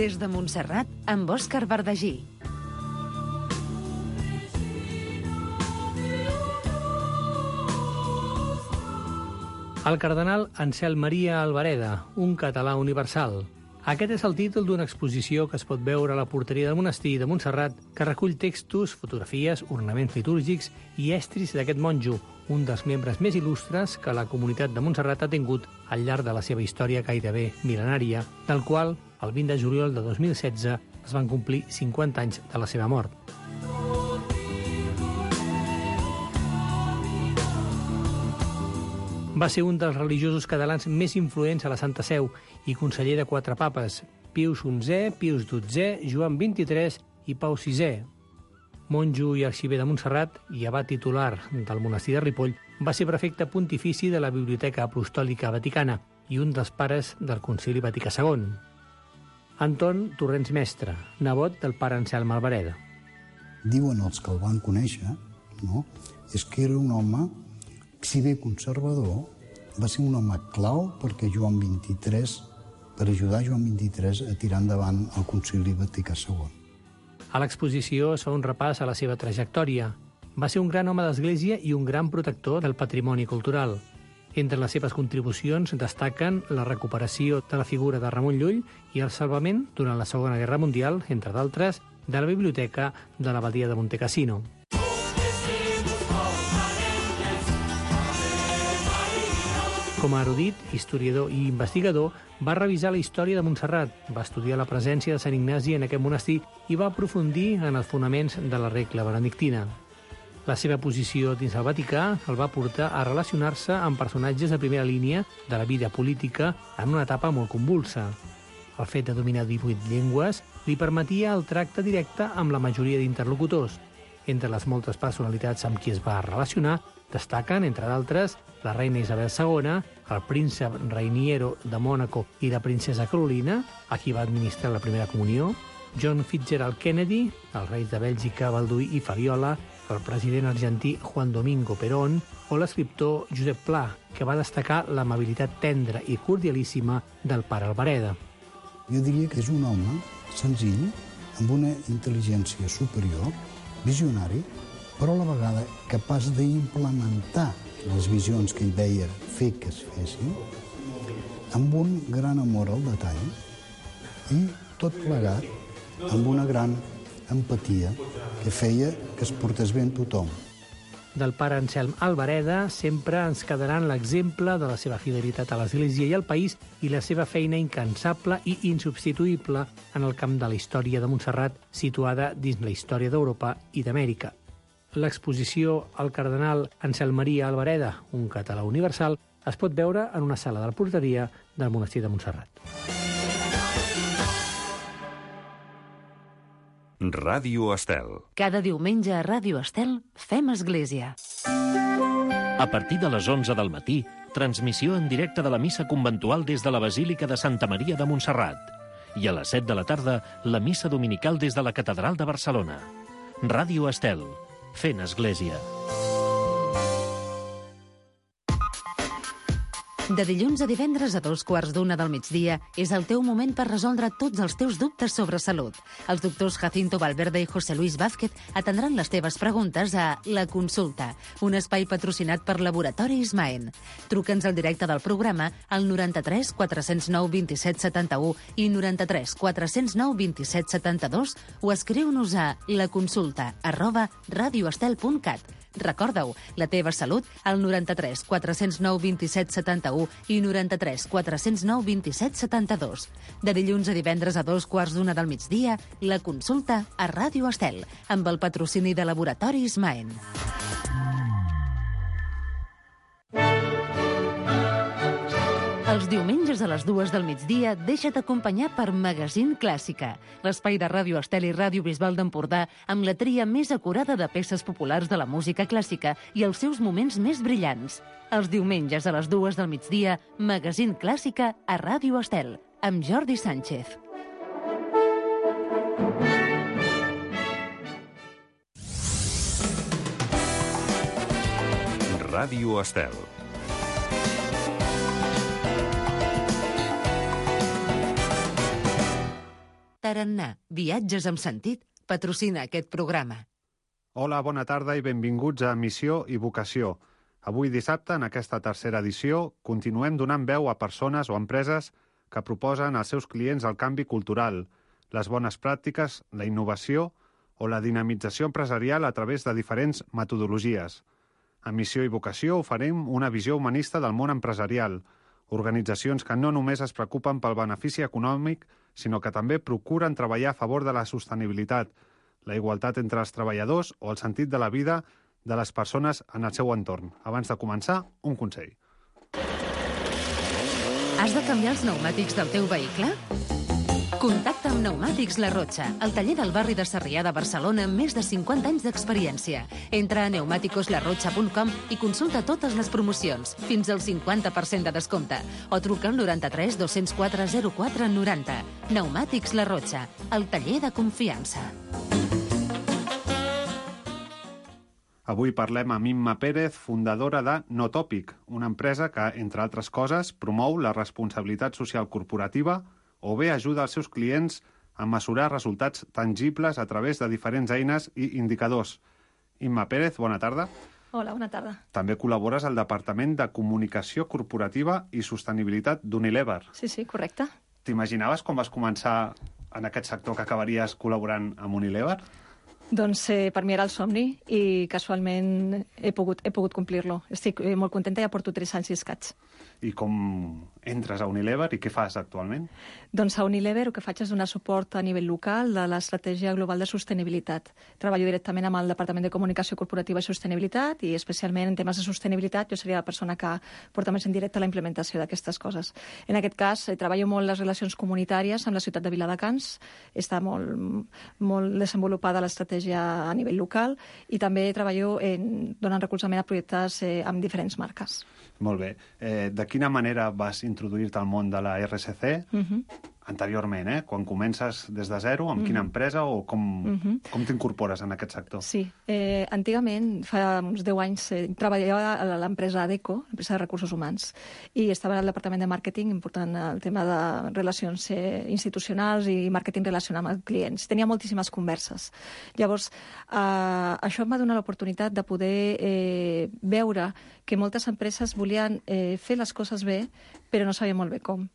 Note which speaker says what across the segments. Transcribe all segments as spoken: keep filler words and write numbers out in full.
Speaker 1: Des de Montserrat, amb Òscar Verdagí.
Speaker 2: El cardenal Anselm Maria Albareda, un català universal. Aquest és el títol d'una exposició que es pot veure a la porteria del monestir de Montserrat, que recull textos, fotografies, ornaments litúrgics i estris d'aquest monjo, un dels membres més il·lustres que la comunitat de Montserrat ha tingut al llarg de la seva història gairebé mil·lenària, del qual, el vint de juliol de dos mil setze, es van complir cinquanta anys de la seva mort. Va ser un dels religiosos catalans més influents a la Santa Seu i conseller de quatre papes, Pius onzè, Pius dotzè, Joan vint-i-tres i Pau sisè. Monjo i arxiver de Montserrat i abat titular del monestir de Ripoll, va ser prefecte pontifici de la Biblioteca Apostòlica Vaticana i un dels pares del Concili Vaticà segon. Anton Torrents Mestre, nebot del pare Anselm Albareda.
Speaker 3: Diuen els que el van conèixer, no? És que era un home, si bé conservador, va ser un home clau perquè Joan vint-i-tres, per ajudar Joan vint-i-tres a tirar endavant el Concili Vaticà segon.
Speaker 2: A l'exposició es fa un repàs a la seva trajectòria. Va ser un gran home d'església i un gran protector del patrimoni cultural. Entre les seves contribucions destaquen la recuperació de la figura de Ramon Llull i el salvament, durant la Segona Guerra Mundial, entre d'altres, de la biblioteca de l'abadia de Montecassino. Com a erudit, historiador i investigador, va revisar la història de Montserrat, va estudiar la presència de Sant Ignasi en aquest monestir i va aprofundir en els fonaments de la regla benedictina. La seva posició dins el Vaticà el va portar a relacionar-se amb personatges de primera línia de la vida política en una etapa molt convulsa. El fet de dominar divuit llengües li permetia el tracte directe amb la majoria d'interlocutors. Entre les moltes personalitats amb qui es va relacionar, destaquen, entre d'altres, la reina Isabel segona, el príncep Rainiero de Mònaco i la princesa Carolina, a qui va administrar la primera comunió, John Fitzgerald Kennedy, els reis de Bèlgica, Balduí i Fabiola, el president argentí Juan Domingo Perón o l'escriptor Josep Pla, que va destacar l'amabilitat tendra i cordialíssima del pare Albareda.
Speaker 3: Jo diria que és un home senzill, amb una intel·ligència superior, visionari, però a la vegada capaç d'implementar les visions que ell veia fer que es fessin, amb un gran amor al detall i tot plegat amb una gran empatia que feia que es portés bé amb tothom.
Speaker 2: Del pare Anselm Albareda sempre ens quedaran l'exemple de la seva fidelitat a l'Església i al país i la seva feina incansable i insubstituïble en el camp de la història de Montserrat, situada dins la història d'Europa i d'Amèrica. L'exposició al cardenal Anselm Maria Albareda, un català universal, es pot veure en una sala de la porteria del monestir de Montserrat.
Speaker 4: Ràdio Estel.
Speaker 1: Cada diumenge a Ràdio Estel fem església.
Speaker 5: A partir de les onze del matí, transmissió en directe de la missa conventual des de la Basílica de Santa Maria de Montserrat. I a les set de la tarda, la missa dominical des de la Catedral de Barcelona. Ràdio Estel. Fent església.
Speaker 1: De dilluns a divendres a dos quarts d'una del migdia és el teu moment per resoldre tots els teus dubtes sobre salut. Els doctors Jacinto Valverde i José Luis Vázquez atendran les teves preguntes a La Consulta, un espai patrocinat per Laboratori Ismaen. Truca'ns al directe del programa al noranta-tres quatre cents nou vint-i-set setanta-u i noranta-tres quatre cents nou vint-i-set setanta-dos o escriu-nos a laconsulta arroba radioestel punt cat. Recorda-ho, la teva salut al noranta-tres quatre cents nou vint-i-set setanta-u i noranta-tres quatre cents nou vint-i-set setanta-dos. De dilluns a divendres a dos quarts d'una del migdia, La Consulta a Ràdio Estel, amb el patrocini de Laboratori Ismaen. Els diumenges a les dues del migdia deixa't acompanyar per Magazín Clàssica, l'espai de Ràdio Estel i Ràdio Bisbal d'Empordà amb la tria més acurada de peces populars de la música clàssica i els seus moments més brillants. Els diumenges a les dues del migdia, Magazín Clàssica a Ràdio Estel, amb Jordi Sánchez.
Speaker 4: Ràdio Estel.
Speaker 1: Tarannà, viatges amb sentit, patrocina aquest programa.
Speaker 6: Hola, bona tarda i benvinguts a Missió i Vocació. Avui dissabte, en aquesta tercera edició, continuem donant veu a persones o empreses que proposen als seus clients el canvi cultural, les bones pràctiques, la innovació o la dinamització empresarial a través de diferents metodologies. A Missió i Vocació oferim una visió humanista del món empresarial, organitzacions que no només es preocupen pel benefici econòmic, sinó que també procuren treballar a favor de la sostenibilitat, la igualtat entre els treballadors o el sentit de la vida de les persones en el seu entorn. Abans de començar, un consell.
Speaker 1: Has de canviar els pneumàtics del teu vehicle? Contacta amb Pneumàtics La Rotxa, el taller del barri de Sarrià de Barcelona amb més de cinquanta anys d'experiència. Entra a pneumáticos la rotxa punt com i consulta totes les promocions, fins al cinquanta per cent de descompte, o truca al noranta-tres dos-cents quatre zero quatre noranta. Pneumàtics La Rotxa, el taller de confiança.
Speaker 6: Avui parlem amb Imma Pérez, fundadora de Notòpic, una empresa que, entre altres coses, promou la responsabilitat social corporativa o bé ajuda els seus clients a mesurar resultats tangibles a través de diferents eines i indicadors. Imma Pérez, bona tarda.
Speaker 7: Hola, bona tarda.
Speaker 6: També col·labores al Departament de Comunicació Corporativa i Sostenibilitat d'Unilever.
Speaker 7: Sí, sí, correcte.
Speaker 6: T'imaginaves quan vas començar en aquest sector que acabaries col·laborant amb Unilever?
Speaker 7: Doncs eh, per mi era el somni i casualment he pogut, he pogut complir-lo. Estic eh, molt contenta, ja porto tres anys i escaig.
Speaker 6: I com entres a Unilever i què fas actualment?
Speaker 7: Doncs a Unilever el que faig és donar suport a nivell local de l'estratègia global de sostenibilitat. Treballo directament amb el Departament de Comunicació Corporativa i Sostenibilitat i especialment en temes de sostenibilitat jo seria la persona que porta més en directe la implementació d'aquestes coses. En aquest cas eh, treballo molt les relacions comunitàries amb la ciutat de Viladecans, està molt, molt desenvolupada l'estratègia a nivell local i també treballo en, donant recolzament a projectes eh, amb diferents marques.
Speaker 6: Molt bé. Eh, de quina manera vas introduir-te al món de la R S C
Speaker 7: Uh-huh.
Speaker 6: anteriorment, eh? Quan comences des de zero, amb uh-huh. quina empresa o com, uh-huh. com t'incorpores en aquest sector?
Speaker 7: Sí, eh, antigament, fa uns deu anys, eh, treballava a l'empresa ADECO, l'empresa de recursos humans, i estava al departament de màrqueting, important el tema de relacions eh, institucionals i màrqueting relacionat amb els clients. Tenia moltíssimes converses. Llavors, eh, això em va donar l'oportunitat de poder eh, veure que moltes empreses volien eh, fer les coses bé, però no sabien molt bé com.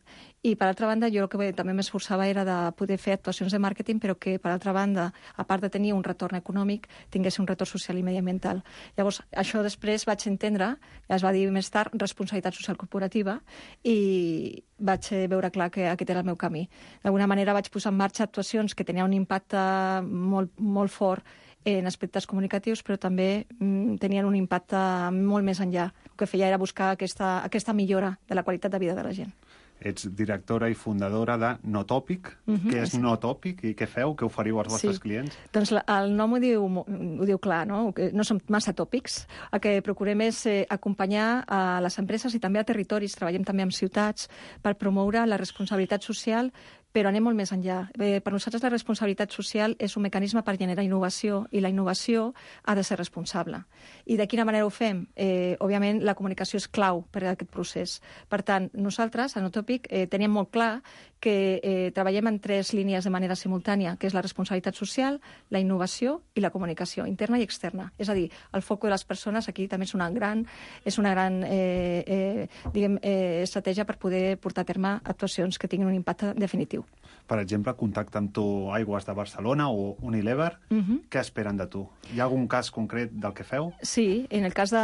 Speaker 7: I, per altra banda, jo el que també m'esforçava era de poder fer actuacions de màrqueting, però que, per altra banda, a part de tenir un retorn econòmic, tingués un retorn social i mediambiental. Llavors, això després vaig entendre, es va dir més tard, responsabilitat social corporativa, i vaig veure clar que aquest era el meu camí. D'alguna manera vaig posar en marxa actuacions que tenien un impacte molt, molt fort en aspectes comunicatius, però també mm, tenien un impacte molt més enllà. El que feia era buscar aquesta, aquesta millora de la qualitat de vida de la gent.
Speaker 6: Ets directora i fundadora de Notòpic.
Speaker 7: Uh-huh,
Speaker 6: què és
Speaker 7: sí.
Speaker 6: Notòpic i què feu? Què oferiu als vostres
Speaker 7: Sí.
Speaker 6: clients?
Speaker 7: Doncs la, el nom ho diu, ho diu clar, no? Que no són massa tòpics. El que procurem és eh, acompanyar a les empreses i també a territoris, treballem també amb ciutats, per promoure la responsabilitat social, però anem molt més enllà. Eh, per nosaltres la responsabilitat social és un mecanisme per generar innovació i la innovació ha de ser responsable. I de quina manera ho fem? Eh, òbviament la comunicació és clau per a aquest procés. Per tant, nosaltres, a Notòpic, eh, teníem molt clar que eh, treballem en tres línies de manera simultània, que és la responsabilitat social, la innovació i la comunicació, interna i externa. És a dir, el foc de les persones aquí també és una gran, és una gran eh, eh, diguem, eh, estratègia per poder portar a terme actuacions que tinguin un impacte definitiu.
Speaker 6: Per exemple, contacta amb tu Aigües de Barcelona o Unilever.
Speaker 7: Uh-huh.
Speaker 6: Què esperen de tu? Hi ha algun cas concret del que feu?
Speaker 7: Sí, en el cas de,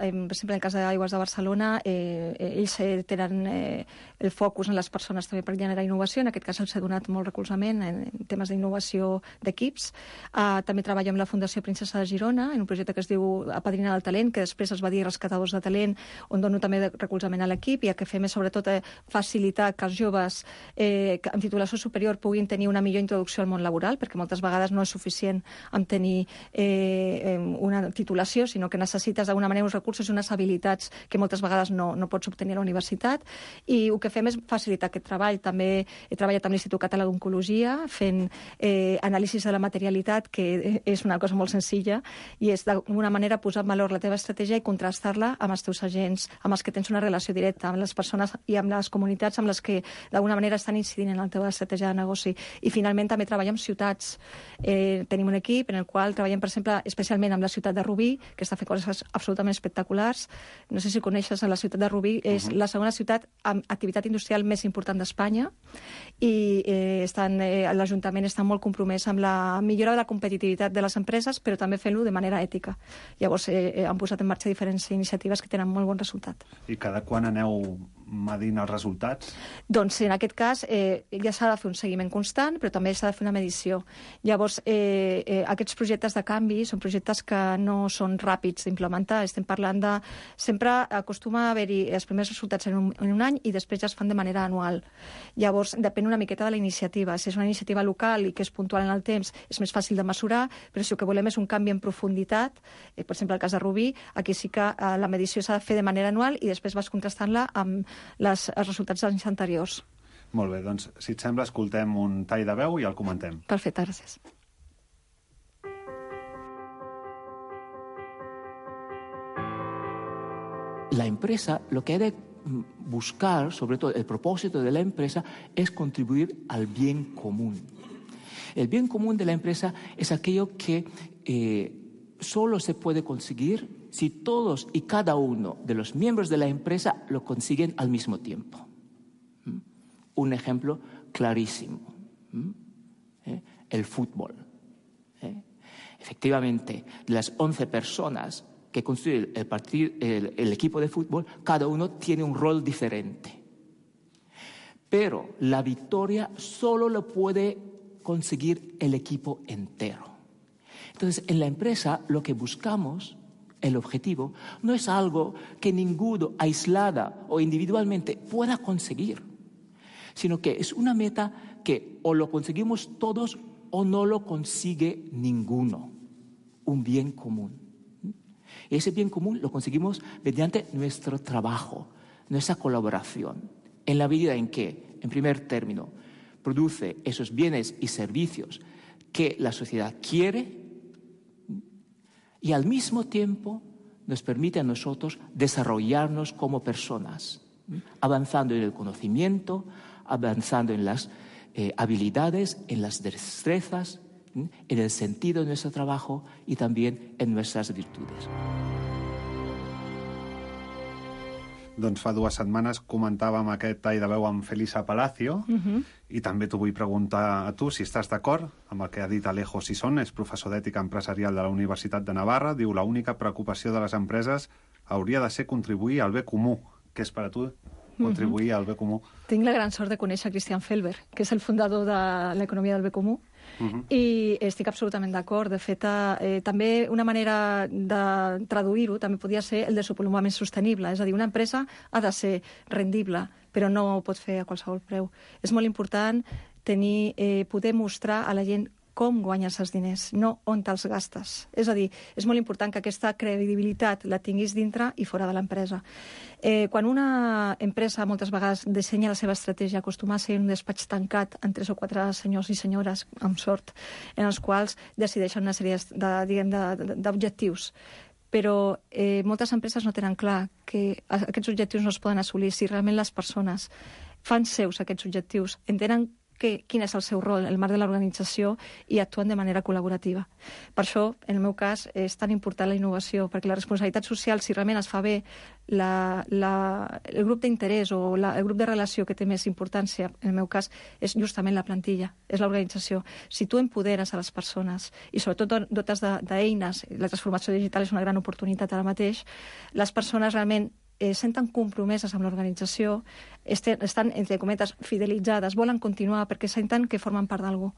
Speaker 7: eh, per exemple, en el cas d'Aigües de Barcelona, eh, ells eh, tenen eh, el focus en les persones també per generar innovació. En aquest cas els he donat molt recolzament en, en temes d'innovació d'equips. Uh, també treballo amb la Fundació Princesa de Girona en un projecte que es diu Apadrinar el talent, que després es va dir Rescatadors de talent, on dono també recolzament a l'equip i el que fem és sobretot eh, facilitar que els joves eh, amb titulació superior puguin tenir una millor introducció al món laboral, perquè moltes vegades no és suficient amb tenir eh, una titulació, sinó que necessites d'alguna manera uns recursos i unes habilitats que moltes vegades no, no pots obtenir a la universitat. I el que fem és facilitar aquest treball. També he treballat amb l'Institut Català d'Oncologia fent eh, anàlisis de la materialitat, que és una cosa molt senzilla, i és d'alguna manera posar en valor la teva estratègia i contrastar-la amb els teus agents, amb els que tens una relació directa, amb les persones i amb les comunitats amb les que d'alguna manera estan incidint en el teva estratègia de negoci. I finalment també treballem amb ciutats. Eh, tenim un equip en el qual treballem, per exemple, especialment amb la ciutat de Rubí, que està fent coses absolutament espectaculars. No sé si coneixes, la ciutat de Rubí és uh-huh. la segona ciutat amb activitat industrial més important d'Espanya i eh, estan, eh, l'Ajuntament està molt compromès amb la millora de la competitivitat de les empreses, però també fent-lo de manera ètica. Llavors, eh, han posat en marxa diferents iniciatives que tenen molt bon resultat.
Speaker 6: I cada quan aneu medint els resultats?
Speaker 7: Doncs en aquest cas eh, ja s'ha de fer un seguiment constant, però també s'ha de fer una medició. Llavors, eh, eh, aquests projectes de canvi són projectes que no són ràpids d'implementar. Estem parlant de... Sempre acostuma a haver-hi els primers resultats en un, en un any i després ja es fan de manera anual. Llavors, depèn una miqueta de la iniciativa. Si és una iniciativa local i que és puntual en el temps, és més fàcil de mesurar, però si el que volem és un canvi en profunditat, eh, per exemple, el cas de Rubí, aquí sí que eh, la medició s'ha de fer de manera anual i després vas contrastant-la amb les, els resultats dels anys anteriors.
Speaker 6: Molt bé, doncs, si et sembla, escoltem un tall de veu i el comentem.
Speaker 7: Perfecte, gràcies.
Speaker 8: La empresa, lo que ha de buscar, sobre todo el propósito de la empresa, es contribuir al bien común. El bien común de la empresa es aquello que eh, solo se puede conseguir si todos y cada uno de los miembros de la empresa lo consiguen al mismo tiempo. ¿Mm? Un ejemplo clarísimo. ¿Mm? ¿Eh? El fútbol. ¿Eh? Efectivamente, de las once personas que constituyen el, partido, el, el equipo de fútbol, cada uno tiene un rol diferente. Pero la victoria solo lo puede conseguir el equipo entero. Entonces, en la empresa lo que buscamos, el objetivo, no es algo que ninguno aislada o individualmente pueda conseguir, sino que es una meta que o lo conseguimos todos o no lo consigue ninguno, un bien común. Y ese bien común lo conseguimos mediante nuestro trabajo, nuestra colaboración, en la medida en que, en primer término, produce esos bienes y servicios que la sociedad quiere y al mismo tiempo nos permite a nosotros desarrollarnos como personas, avanzando en el conocimiento, avanzando en las eh, habilidades, en las destrezas, en el sentido de nuestro trabajo y también en nuestras virtudes.
Speaker 6: Doncs fa dues setmanes comentàvem aquest tall de veu amb Felisa Palacio uh-huh. i també t'ho vull preguntar a tu si estàs d'acord amb el que ha dit Alejo Sison, és professor d'ètica empresarial de la Universitat de Navarra. Diu, la única preocupació de les empreses hauria de ser contribuir al bé comú. Què és per a tu contribuir uh-huh. al bé comú?
Speaker 7: Tinc la gran sort de conèixer Christian Felber, que és el fundador de l'economia del bé comú. Uh-huh. I estic absolutament d'acord. De fet, eh, també una manera de traduir-ho també podria ser el desenvolupament sostenible. És a dir, una empresa ha de ser rendible, però no ho pot fer a qualsevol preu. És molt important tenir, eh, poder mostrar a la gent com guanyes els diners, no on te'ls gastes. És a dir, és molt important que aquesta credibilitat la tinguis dintre i fora de l'empresa. Eh, quan una empresa moltes vegades dissenya la seva estratègia, acostuma a ser un despatx tancat en tres o quatre senyors i senyores, amb sort, en els quals decideixen una sèrie de, diguem, de, d'objectius. Però eh, moltes empreses no tenen clar que aquests objectius no es poden assolir si realment les persones fan seus aquests objectius, entenen que, quin és el seu rol, el marc de l'organització, i actuen de manera col·laborativa. Per això, en el meu cas, és tan important la innovació, perquè la responsabilitat social, si realment es fa bé, la, la, el grup d'interès o la, el grup de relació que té més importància, en el meu cas, és justament la plantilla, és l'organització. Si tu empoderes a les persones, i sobretot dotes d'eines, la transformació digital és una gran oportunitat ara mateix, les persones realment Eh, senten compromeses amb l'organització, estan, entre cometes, fidelitzades, volen continuar perquè senten que formen part d'algú.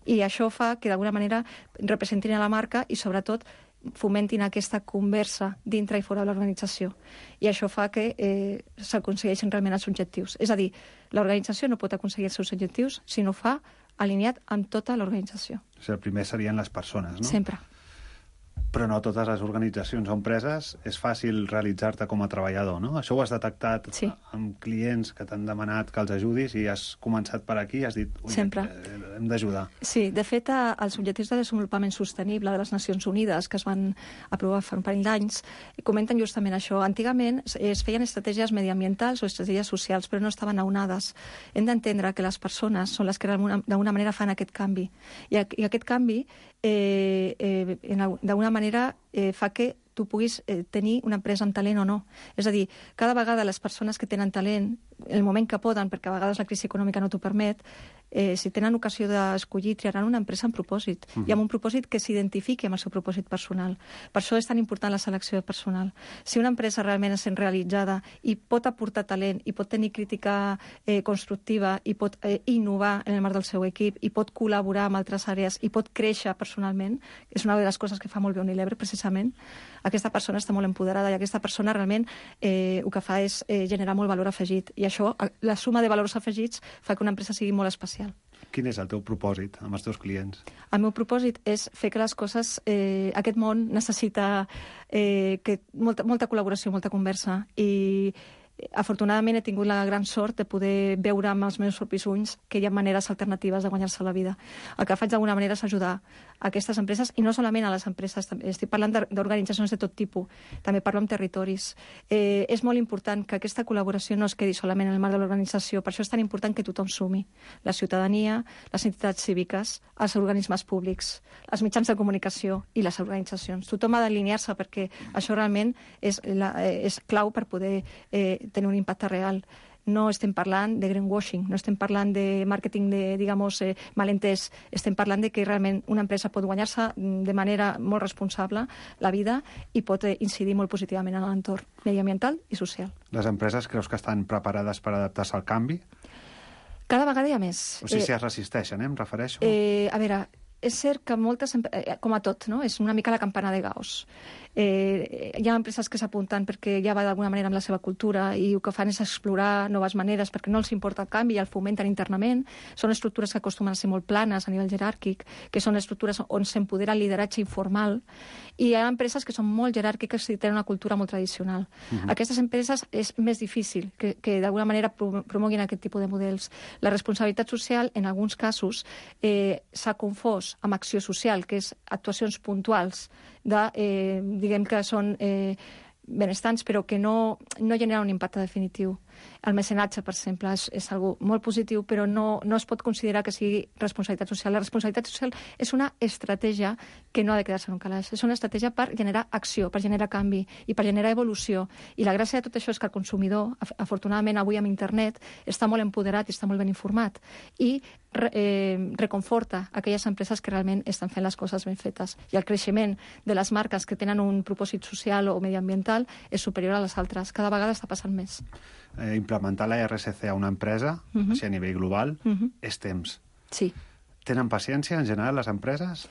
Speaker 7: I això fa que, d'alguna manera, representin a la marca i, sobretot, fomentin aquesta conversa dintre i fora de l'organització. I això fa que eh, s'aconsegueixin realment els objectius. És a dir, l'organització no pot aconseguir els seus objectius si no fa alineat amb tota l'organització.
Speaker 6: O sigui, el primer serien les persones, no?
Speaker 7: Sempre.
Speaker 6: Però no totes les organitzacions o empreses és fàcil realitzar-te com a treballador, no? Això ho has detectat
Speaker 7: sí.
Speaker 6: amb clients que t'han demanat que els ajudis i has començat per aquí i has dit, ui,
Speaker 7: Sempre.
Speaker 6: hem d'ajudar.
Speaker 7: Sí, de fet, els objectius de desenvolupament sostenible de les Nacions Unides, que es van aprovar fa un parell d'anys, comenten justament això. Antigament es feien estratègies mediambientals o estratègies socials, però no estaven aunades. Hem d'entendre que les persones són les que d'alguna manera fan aquest canvi. I aquest canvi, eh, eh, d'alguna manera, eh, fa que tu puguis eh, tenir una empresa amb talent o no. És a dir, cada vegada les persones que tenen talent, el moment que poden, perquè a vegades la crisi econòmica no t'ho permet, eh, si tenen ocasió d'escollir, triaran una empresa amb propòsit, uh-huh. i amb un propòsit que s'identifiqui amb el seu propòsit personal. Per això és tan important la selecció de personal. Si una empresa realment és realitzada i pot aportar talent, i pot tenir crítica eh, constructiva, i pot eh, innovar en el marc del seu equip, i pot col·laborar amb altres àrees, i pot créixer personalment, és una de les coses que fa molt bé Unilever, precisament, aquesta persona està molt empoderada i aquesta persona realment eh, el que fa és eh, generar molt valor afegit. I això, la suma de valors afegits, fa que una empresa sigui molt especial.
Speaker 6: Quin és el teu propòsit amb els teus clients?
Speaker 7: El meu propòsit és fer que les coses... Eh, aquest món necessita eh, que molta, molta col·laboració, molta conversa, i afortunadament he tingut la gran sort de poder veure amb els meus propis ulls que hi ha maneres alternatives de guanyar-se la vida. El que faig d'alguna manera és ajudar a aquestes empreses, i no solament a les empreses, estic parlant d'organitzacions de tot tipus, també parlo amb territoris. Eh, és molt important que aquesta col·laboració no es quedi solament en el marc de l'organització, per això és tan important que tothom sumi. La ciutadania, les entitats cíviques, els organismes públics, els mitjans de comunicació i les organitzacions. Tothom ha d'alinear-se perquè això realment és, la, és clau per poder eh, tenir un impacte real. No estem parlant de greenwashing, no estem parlant de màrqueting de, digamos, eh, malentès. Estem parlant de que realment una empresa pot guanyar-se de manera molt responsable la vida i pot eh, incidir molt positivament en l'entorn mediambiental i social.
Speaker 6: Les empreses creus que estan preparades per adaptar-se al canvi?
Speaker 7: Cada vegada hi ha més.
Speaker 6: O sigui, eh, si es resisteixen, eh, em refereixo?
Speaker 7: Eh, a veure, és cert que moltes, eh, com a tot, no? És una mica la campana de Gauss. Eh, hi ha empreses que s'apunten perquè ja va d'alguna manera amb la seva cultura i el que fan és explorar noves maneres perquè no els importa el canvi i el fomenten internament. Són estructures que acostumen a ser molt planes a nivell jeràrquic, que són estructures on s'empodera el lideratge informal, i hi ha empreses que són molt jeràrquiques i tenen una cultura molt tradicional. Uh-huh. Aquestes empreses és més difícil que, que d'alguna manera promoguin aquest tipus de models. La responsabilitat social, en alguns casos, eh, s'ha confós amb acció social, que és actuacions puntuals de, eh, diguem que són eh, benestants, però que no, no generen un impacte definitiu. El mecenatge, per exemple, és, és algo molt positiu, però no, no es pot considerar que sigui responsabilitat social. La responsabilitat social és una estratègia que no ha de quedar-se en un calaix. És una estratègia per generar acció, per generar canvi i per generar evolució. I la gràcia de tot això és que el consumidor, afortunadament avui amb internet, està molt empoderat i està molt ben informat. I eh, reconforta aquelles empreses que realment estan fent les coses ben fetes. I el creixement de les marques que tenen un propòsit social o mediambiental és superior a les altres. Cada vegada està passant més.
Speaker 6: Eh, implementar la R S C a una empresa, uh-huh. així a nivell global, uh-huh. és temps.
Speaker 7: Sí.
Speaker 6: Tenen paciència, en general, les empreses?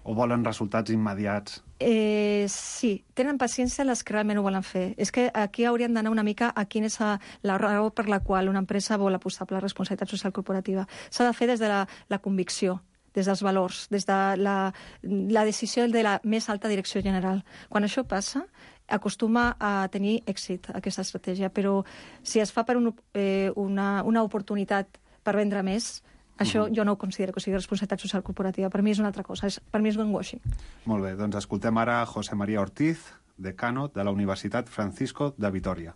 Speaker 6: O volen resultats immediats?
Speaker 7: Eh, sí, tenen paciència les que realment ho volen fer. És que aquí hauríem d'anar una mica a quina és la raó per la qual una empresa vol apostar per la responsabilitat social corporativa. S'ha de fer des de la, la convicció, des dels valors, des de la, la decisió de la més alta direcció general. Quan això passa, acostuma a tenir èxit aquesta estratègia, però si es fa per un, eh, una, una oportunitat per vendre més, això uh-huh. jo no ho considero que sigui responsabilitat social corporativa. Per mi és una altra cosa, és, per mi és greenwashing.
Speaker 6: Molt bé, doncs escoltem ara José María Ortiz, decano de la Universitat Francisco de Vitoria.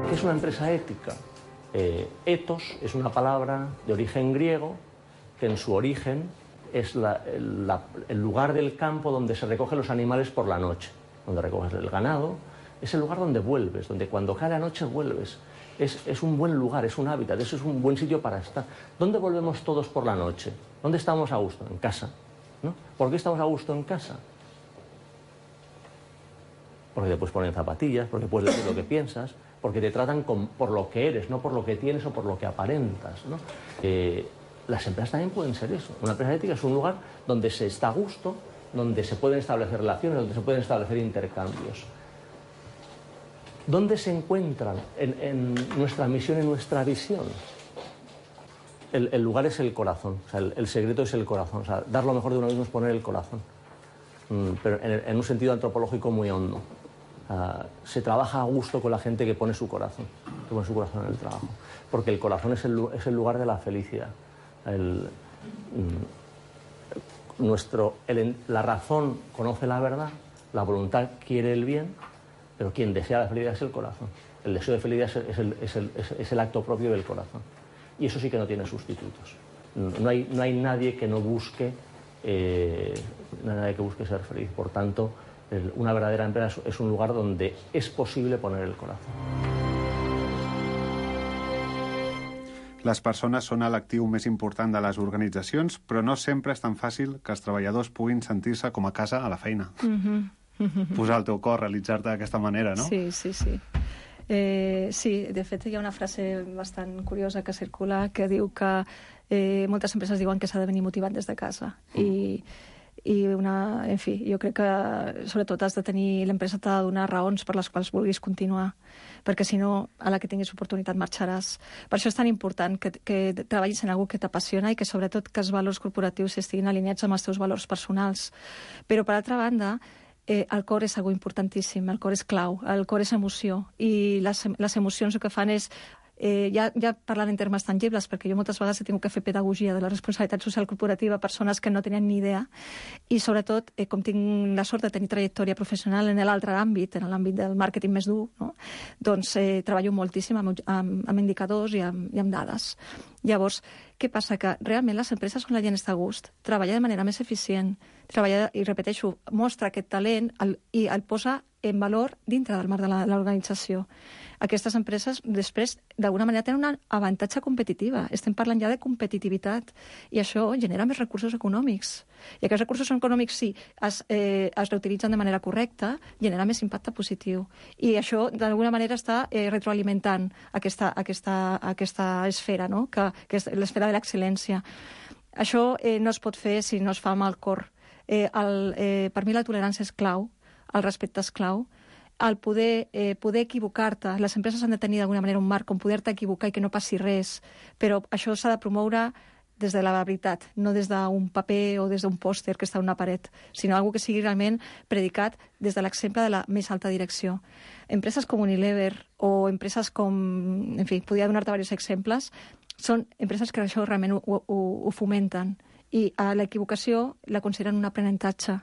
Speaker 9: ¿Qué es una empresa ética? Eh, ethos es una palabra de origen griego que en su origen es la, la, el lugar del campo donde se recogen los animales por la noche, donde recoges el ganado. Es el lugar donde vuelves, donde cuando cae la noche vuelves. Es, es un buen lugar, es un hábitat, eso es un buen sitio para estar. ¿Dónde volvemos todos por la noche? ¿Dónde estamos a gusto? En casa, ¿no? ¿Por qué estamos a gusto en casa? Porque te puedes poner zapatillas, porque puedes decir lo que piensas, porque te tratan con, por lo que eres, no por lo que tienes o por lo que aparentas, ¿no? Eh, las empresas también pueden ser eso. Una empresa ética es un lugar donde se está a gusto, donde se pueden establecer relaciones, donde se pueden establecer intercambios. ¿dónde se encuentran en, en nuestra misión y nuestra visión? El, el lugar es el corazón, o sea, el, el secreto es el corazón. O sea, dar lo mejor de uno mismo es poner el corazón, mm, pero en, en un sentido antropológico muy hondo. Uh, se trabaja a gusto con la gente que pone su corazón, que pone su corazón en el trabajo, porque el corazón es el, es el lugar de la felicidad. El, mm, nuestro, el, la razón conoce la verdad, la voluntad quiere el bien, pero quien desea la felicidad es el corazón. El deseo de felicidad es el, es el, es el, es, es el acto propio del corazón. Y eso sí que no tiene sustitutos. No hay, no hay nadie que no busque, eh, no hay nadie que busque ser feliz. Por tanto, el, una verdadera empresa es un lugar donde es posible poner el corazón.
Speaker 6: Les persones són l'actiu més important de les organitzacions, però no sempre és tan fàcil que els treballadors puguin sentir-se com a casa a la feina.
Speaker 7: Mm-hmm. Mm-hmm.
Speaker 6: Posar el teu cor, realitzar-te d'aquesta manera, no?
Speaker 7: Sí, sí, sí. Eh, sí, de fet hi ha una frase bastant curiosa que circula que diu que eh, moltes empreses diuen que s'ha de venir motivat des de casa. Mm. I, i una, en fi, jo crec que sobretot has de tenir, l'empresa t'ha de donar raons per les quals vulguis continuar, perquè si no, a la que tinguis oportunitat marxaràs. Per això és tan important que, que treballis en algú que t'apassiona i que sobretot que els valors corporatius estiguin alineats amb els teus valors personals. Però per altra banda, Eh, el cor és algo importantíssim, el cor és clau, el cor és emoció, i les, les emocions el que fan és, eh, ja, ja parlant en termes tangibles, perquè jo moltes vegades he tingut que fer pedagogia de la responsabilitat social corporativa a persones que no tenien ni idea, i sobretot, eh, com tinc la sort de tenir trajectòria professional en l'altre àmbit, en l'àmbit del màrqueting més dur, no? Doncs eh, treballo moltíssim amb, amb, amb indicadors i amb, i amb dades. Llavors, què passa? Que realment les empreses on la gent està a gust treballa de manera més eficient, treballa, i repeteixo, mostra aquest talent el, i el posa en valor dintre del marc de l'organització. Aquestes empreses, després, d'alguna manera, tenen un avantatge competitiva. Estem parlant ja de competitivitat, i això genera més recursos econòmics. I aquests recursos econòmics, si es, eh, es reutilitzen de manera correcta, genera més impacte positiu. I això, d'alguna manera, està eh, retroalimentant aquesta, aquesta, aquesta esfera, no? que, que és l'esfera de l'excel·lència. Això eh, no es pot fer si no es fa amb el cor. Eh, el, eh, per mi la tolerància és clau, el respecte és clau, el poder, eh, poder equivocar-te. Les empreses han de tenir d'alguna manera un marc on poder-te equivocar i que no passi res, però això s'ha de promoure des de la veritat, no des d'un paper o des d'un pòster que està en una paret, sinó algo que sigui realment predicat des de l'exemple de la més alta direcció. Empreses com Unilever o empreses com... En fi, podria donar-te diversos exemples. Són empreses que això realment ho, ho, ho fomenten, i a l'equivocació la consideren un aprenentatge.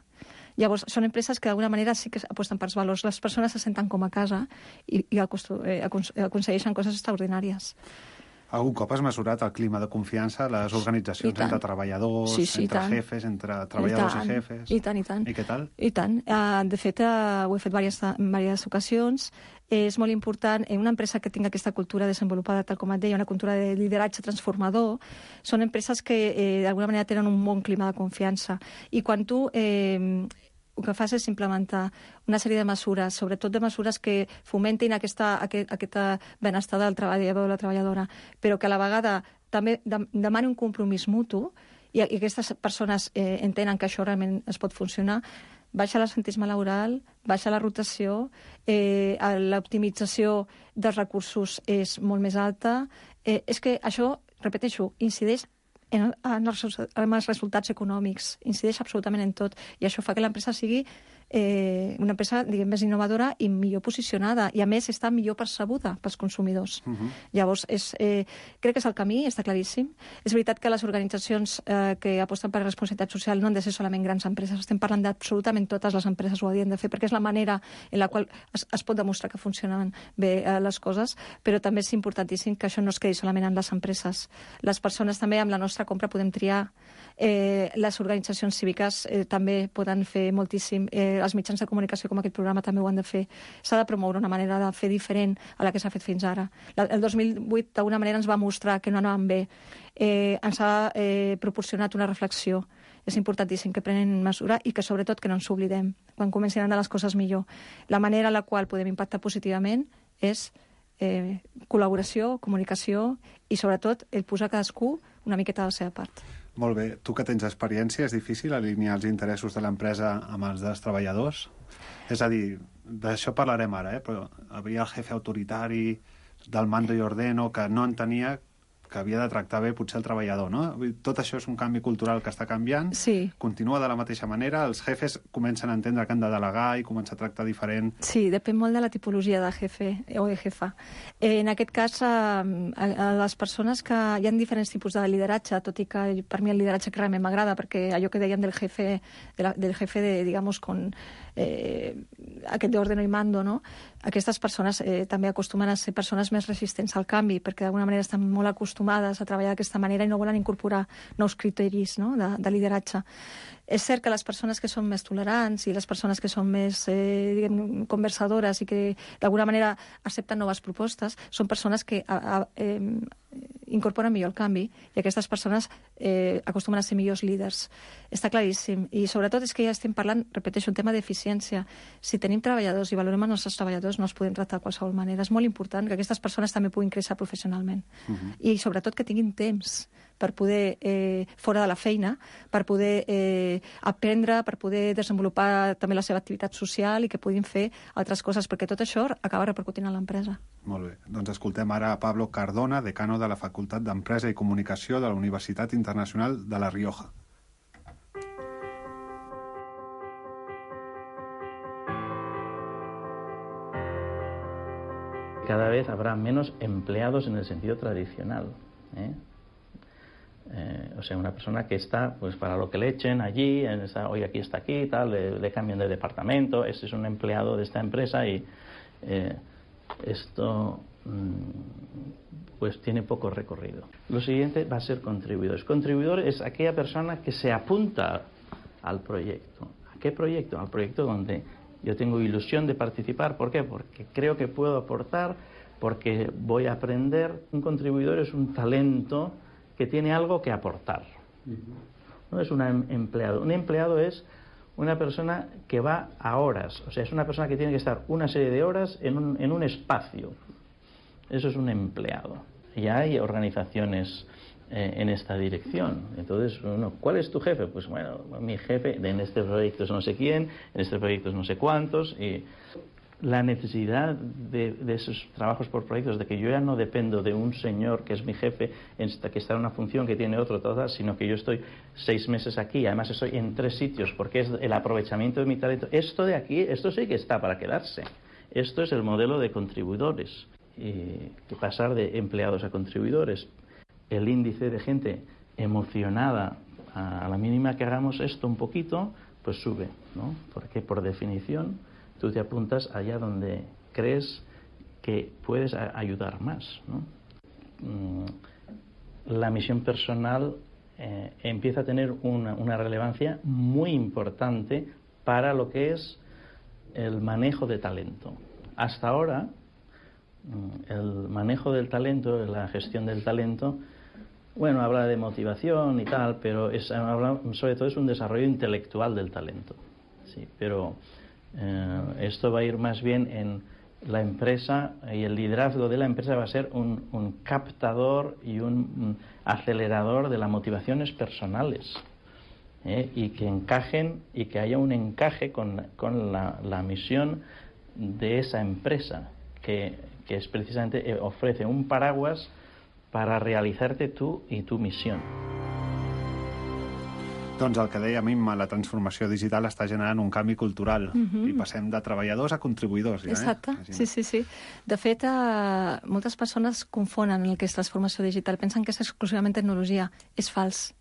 Speaker 7: Llavors, són empreses que d'alguna manera sí que aposten per els valors. Les persones se senten com a casa i, i aconsegueixen coses extraordinàries.
Speaker 6: Algun cop has mesurat el clima de confiança a les organitzacions entre treballadors,
Speaker 7: sí, sí,
Speaker 6: entre jefes, entre treballadors i, i jefes?
Speaker 7: I tant, i tant.
Speaker 6: I què tal?
Speaker 7: I tant. Uh, de fet, uh, ho he fet diverses, en diverses ocasions. És molt important, en una empresa que tingui aquesta cultura desenvolupada, tal com et deia, una cultura de lideratge transformador, són empreses que eh, d'alguna manera tenen un bon clima de confiança. I quan tu... Eh, el que fas és implementar una sèrie de mesures, sobretot de mesures que fomentin aquesta, aquest, aquest benestar del treballador o la treballadora, però que a la vegada també de, demani un compromís mutu, i, i aquestes persones eh, entenen que això realment es pot funcionar, baixa l'absentisme laboral, baixa la rotació, eh, l'optimització dels recursos és molt més alta. Eh, és que això, repeteixo, incideix En, en, els, en els resultats econòmics, incideix absolutament en tot, i això fa que l'empresa sigui eh, una empresa, diguem, més innovadora i millor posicionada, i a més està millor percebuda pels consumidors. Uh-huh. Llavors, és, eh, crec que és el camí, està claríssim. És veritat que les organitzacions eh, que aposten per la responsabilitat social no han de ser solament grans empreses, estem parlant d'absolutament totes les empreses ho haurien de fer, perquè és la manera en la qual es, es pot demostrar que funcionen bé eh, les coses, però també és importantíssim que això no es quedi solament en les empreses. Les persones també, amb la nostra compra, podem triar. Eh, les organitzacions cíviques eh, també poden fer moltíssim. Eh, els mitjans de comunicació com aquest programa també ho han de fer. S'ha de promoure una manera de fer diferent a la que s'ha fet fins ara. La, el dos mil vuit d'alguna manera ens va mostrar que no anàvem bé. Eh, ens ha eh, proporcionat una reflexió. És importantíssim que prenen mesura i que sobretot que no ens oblidem. Quan comencin a anar les coses millor. La manera en la qual podem impactar positivament és eh, col·laboració, comunicació i sobretot el posar cadascú una miqueta de la seva part.
Speaker 6: Molt bé. Tu que tens experiència, és difícil alinear els interessos de l'empresa amb els dels treballadors? És a dir, d'això parlarem ara, eh? Però havia el jefe autoritari del mando y ordeno que no entenia que havia de tractar bé potser el treballador, no? Tot això és un canvi cultural que està canviant,
Speaker 7: sí.
Speaker 6: Continua de la mateixa manera, els jefes comencen a entendre que han de delegar i començar a tractar diferent.
Speaker 7: Sí, depèn molt de la tipologia de jefe o de jefa. Eh, en aquest cas, eh, a les persones que hi ha diferents tipus de lideratge, tot i que per mi el lideratge que realment m'agrada, perquè allò que dèiem del jefe, de la, del jefe de, digamos, con eh, aquest d'ordeno i mando, no? Aquestes persones eh, també acostumen a ser persones més resistents al canvi, perquè d'alguna manera estan molt acostumades a treballar d'aquesta manera i no volen incorporar nous criteris, no? de, de lideratge. És cert que les persones que són més tolerants i les persones que són més eh, diguem, conversadores i que d'alguna manera accepten noves propostes són persones que a, a, eh, incorporen millor el canvi i aquestes persones eh, acostumen a ser millors líders. Està claríssim. I sobretot és que ja estem parlant, repeteixo, un tema d'eficiència. Si tenim treballadors i valorem els nostres treballadors no els podem tractar de qualsevol manera. És molt important que aquestes persones també puguin créixer professionalment. Uh-huh. I sobretot que tinguin temps per poder, eh, fora de la feina, per poder eh, aprendre, per poder desenvolupar també la seva activitat social i que puguin fer altres coses, perquè tot això acaba repercutint en l'empresa.
Speaker 6: Molt bé. Doncs escoltem ara a Pablo Cardona, decano de la Facultat d'Empresa i Comunicació de la Universitat Internacional de La Rioja.
Speaker 10: Cada vez habrá menos empleados en el sentido tradicional, ¿eh? Eh, o sea, una persona que está pues para lo que le echen allí, en esa, hoy aquí está aquí, tal, le, le cambian de departamento, ese es un empleado de esta empresa y eh, esto mmm, pues tiene poco recorrido. Lo siguiente va a ser contribuidores. Contribuidor es aquella persona que se apunta al proyecto. ¿A qué proyecto? Al proyecto donde yo tengo ilusión de participar. ¿Por qué? Porque creo que puedo aportar, porque voy a aprender. Un contribuidor es un talento que tiene algo que aportar. No es un empleado. Un empleado es una persona que va a horas. O sea, es una persona que tiene que estar una serie de horas en un, en un espacio. Eso es un empleado. Y hay organizaciones eh, en esta dirección. Entonces, uno, ¿cuál es tu jefe? Pues bueno, mi jefe en este proyecto es no sé quién, en este proyecto es no sé cuántos. Y la necesidad de, de esos trabajos por proyectos, de que yo ya no dependo de un señor que es mi jefe, que está en una función que tiene otro, toda, sino que yo estoy seis meses aquí, además estoy en tres sitios, porque es el aprovechamiento de mi talento. Esto de aquí, esto sí que está para quedarse. Esto es el modelo de contribuidores. Y que pasar de empleados a contribuidores, el índice de gente emocionada a la mínima que hagamos esto un poquito, pues sube, ¿no? Porque por definición tú te apuntas allá donde crees que puedes a- ayudar más, ¿no? La misión personal eh, empieza a tener una, una relevancia muy importante para lo que es el manejo de talento. Hasta ahora, el manejo del talento, la gestión del talento, bueno, habla de motivación y tal, pero es, habla, sobre todo es un desarrollo intelectual del talento, sí, pero eh, esto va a ir más bien en la empresa, y el liderazgo de la empresa va a ser un, un captador y un, un acelerador de las motivaciones personales, ¿eh? Y que encajen, y que haya un encaje con, con la, la misión de esa empresa, que, que es precisamente, eh, ofrece un paraguas para realizarte tú y tu misión.
Speaker 6: Doncs el que deia Imma, la transformació digital està generant un canvi cultural uh-huh. i passem de treballadors a contribuïdors. Ja,
Speaker 7: Exacte,
Speaker 6: eh?
Speaker 7: sí, sí, sí. De fet, eh, moltes persones confonen el que és transformació digital, pensen que és exclusivament tecnologia. És fals.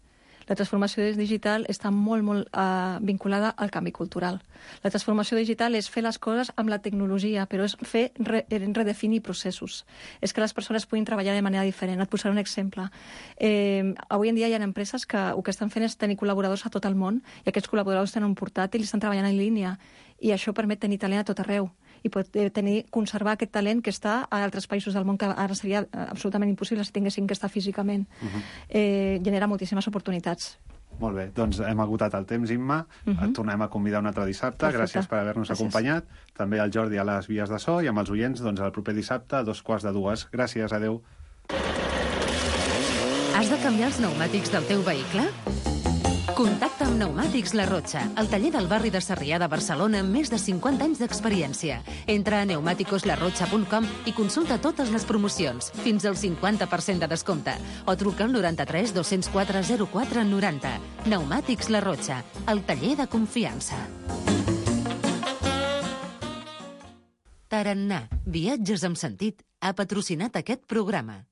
Speaker 7: La transformació digital està molt, molt eh, vinculada al canvi cultural. La transformació digital és fer les coses amb la tecnologia, però és fer re, redefinir processos. És que les persones puguin treballar de manera diferent. Et posaré un exemple. Eh, avui en dia hi ha empreses que el que estan fent és tenir col·laboradors a tot el món, i aquests col·laboradors tenen un portàtil i estan treballant en línia, i això permet tenir talent a tot arreu, i pot tenir, conservar aquest talent que està a altres països del món, que ara seria absolutament impossible si tinguessin que estar físicament. Uh-huh. Eh, genera moltíssimes oportunitats.
Speaker 6: Molt bé, doncs hem agotat el temps, Imma. Uh-huh. Et tornem a convidar un altre dissabte. Perfecte. Gràcies per haver-nos Gràcies. acompanyat. També al Jordi a les vies de so, i amb els oients doncs, el proper dissabte a dos quarts de dues. Gràcies, adeu.
Speaker 1: Has de canviar els pneumàtics del teu vehicle? Contacta amb Pneumàtics La Rotxa, el taller del barri de Sarrià de Barcelona amb més de cinquanta anys d'experiència. Entra a pneumáticos la rotxa punt com i consulta totes les promocions, fins al cinquanta per cent de descompte. O truca al noranta-tres dos-cents quatre zero quatre noranta. Pneumàtics La Rotxa, el taller de confiança. Tarannà, viatges amb sentit, ha patrocinat aquest programa.